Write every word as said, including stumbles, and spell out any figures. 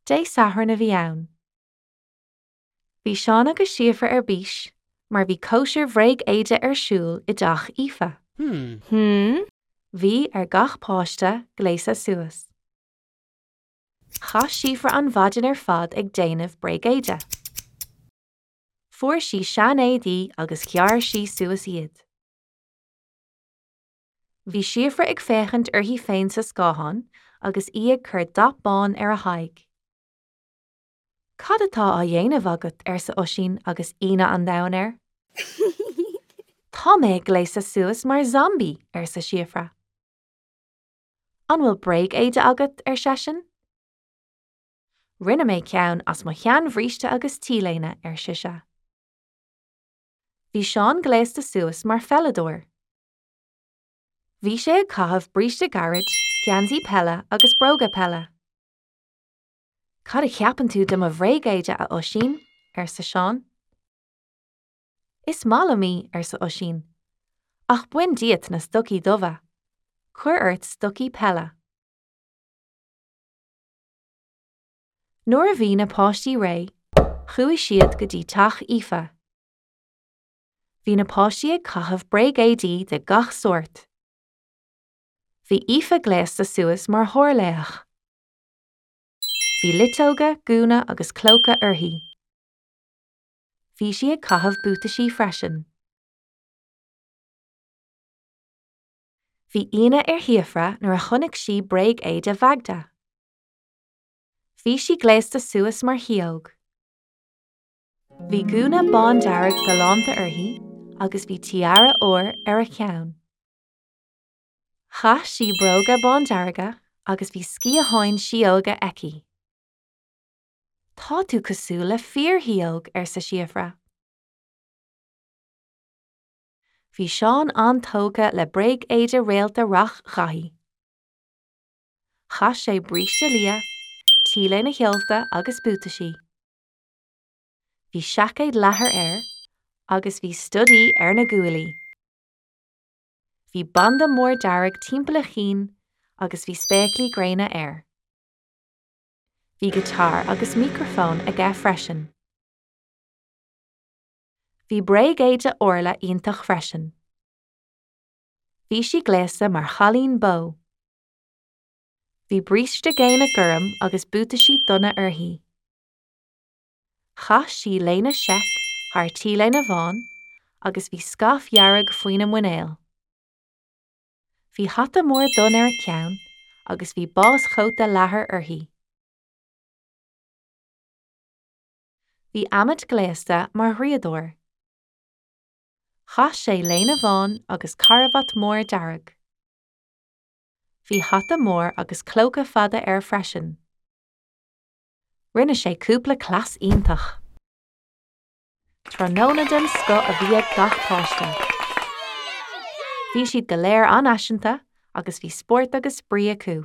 Dé Sathairn a bhí ann. Bhí Seán agus Síofra ar bís mar bhí cóisir bhréag-éide ar siúl i dteach Aoife. Hmm. Hmm? Bhí ar gach páiste gléasadh suas. Chaith Síofra an mhaidin ar fad ag déanamh bréagéide. Fuair sí seanéadaí agus ghearr sí suas iad. Bhí Síofra ag féachaint uirthi féin sa scáthán agus í ag cur dath bán ar a haghaidh. Cad atá á dhéanamh agat arsa Oisín agus ionadh an domhain air. Tá mé ag gléasadh suas mar zombie arsa Síofra. An bhfuil bréag-éide agat ar seisean? Rinne mé ceann as mo sheanbhríste agus t-léine ar sise. Bhí Seán gléasta suas mar pheileadóir. Bhí sé ag caitheamh bríste gairid, geansaí peile agus bróga peile. Cad a cheapann tú de mo bhréag-éide a Oisín, arsa Seán. Is maith liom í, arsa Oisín. Ach bain díot na stocaí dubha. Cuir ort stocaí peile. Nuair a bhí na páistí réidh, chuaigh siad go dtí teach Aoife. Bhí na páistí ag caitheamh bréagéadaí de gach sórt. Bhí Aoife gléasta suas mar shárlaoch. Bhí luiteoga, gúna agus clóca uirthi. Bhí sí ag caitheamh buataisí freisin. Bhí ionadh ar Shíofra nuair a chonaic sí bréag-éide Mhagda. Bhí sí gléasta suas mar shióg. Bhí gúna bándearg galánta uirthi agus bhí tiara óir ar a ceann. Chaith sí bróga bándearga agus bhí sciatháin sióga aici. Tá tú cosúil le fíorshióg arsa Síofra. Bhí Seán an-tógtha le bréag-éide réalta Reach Dhaithí. Chaith sé bríste liath, t-léine sheolta agus buataisí. Bhí seaicéad leathair air agus bhí stodaí ar na guaillí. Bhí banda mór dearg timpeall a chinn agus bhí spéaclaí gréine air. Bhí giotár agus micreafón aige freisin. Bhí bréag-éide Orla iontach freisin. Bhí sí gléasta mar chailín bó. Bhí bríste géine gorm agus buataisí donna uirthi. Chaith sí léine seic thar t-léine bhán agus bhí scaif dhearg faoina muineál. Bhí hata mór donn ar a ceann agus bhí báschóta leathair uirthi. Bhí Amit gléasta mar dhraíodóir. Chaith sé léine bhán agus carbhat mór dearg. Bhí hata mór agus clóca fada air freisin. Rinne sé cúpla cleas iontach. Tráthnóna den scoth a bhí ag gach páiste. Bhí siad go léir an-fhaiseanta agus bhí spórt agus spraoi acu.